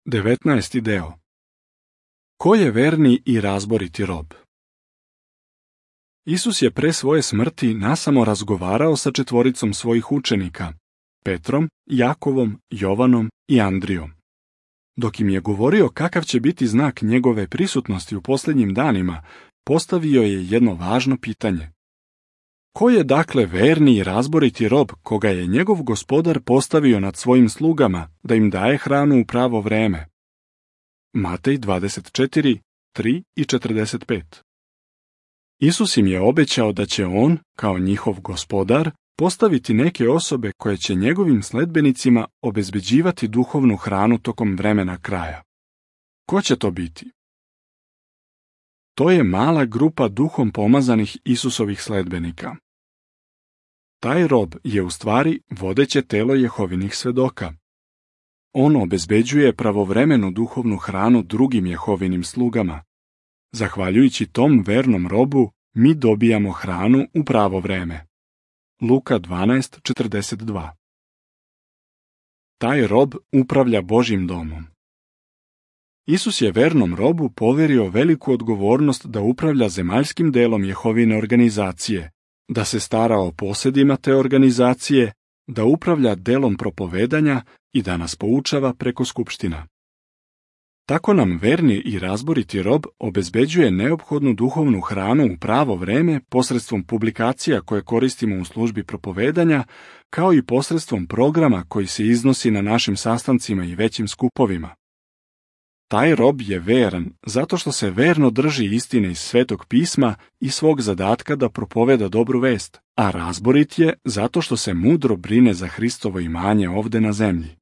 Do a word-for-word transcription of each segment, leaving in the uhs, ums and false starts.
devetnaesti deo. Ko je verni i razboriti rob? Isus je pre svoje smrti nasamo razgovarao sa četvoricom svojih učenika, Petrom, Jakovom, Jovanom i Andrijom. Dok im je govorio kakav će biti znak njegove prisutnosti u posljednjim danima, postavio je jedno važno pitanje. Ko je dakle verni i razboriti rob koga je njegov gospodar postavio nad svojim slugama da im daje hranu u pravo vreme? Matej dvadeset četiri, tri i četrdeset pet. Isus im je obećao da će on, kao njihov gospodar, postaviti neke osobe koje će njegovim sledbenicima obezbeđivati duhovnu hranu tokom vremena kraja. Ko će to biti? To je mala grupa duhom pomazanih Isusovih sledbenika. Taj rob je u stvari vodeće telo Jehovinih svedoka. On obezbeđuje pravovremenu duhovnu hranu drugim Jehovinim slugama. Zahvaljujući tom vernom robu, mi dobijamo hranu u pravo vreme. Luka dvanaest četrdeset dva. Taj rob upravlja Božjim domom. Isus je vernom robu poverio veliku odgovornost da upravlja zemaljskim delom Jehovine organizacije, da se stara o posedima te organizacije, da upravlja delom propovedanja i da nas poučava preko skupština. Tako nam verni i razboriti rob obezbeđuje neophodnu duhovnu hranu u pravo vreme posredstvom publikacija koje koristimo u službi propovedanja, kao i posredstvom programa koji se iznosi na našim sastancima i većim skupovima. Taj rob je veran zato što se verno drži istine iz Svetog pisma i svog zadatka da propoveda dobru vest, a razborit je zato što se mudro brine za Hristovo imanje ovde na zemlji.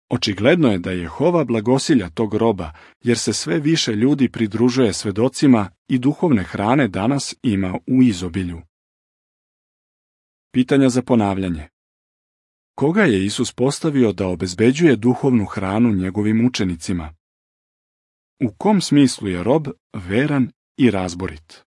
Očigledno je da Jehova blagosilja tog roba, jer se sve više ljudi pridružuje svedocima i duhovne hrane danas ima u izobilju. Pitanja za ponavljanje. Koga je Isus postavio da obezbeđuje duhovnu hranu njegovim učenicima? U kom smislu je rob veran i razborit?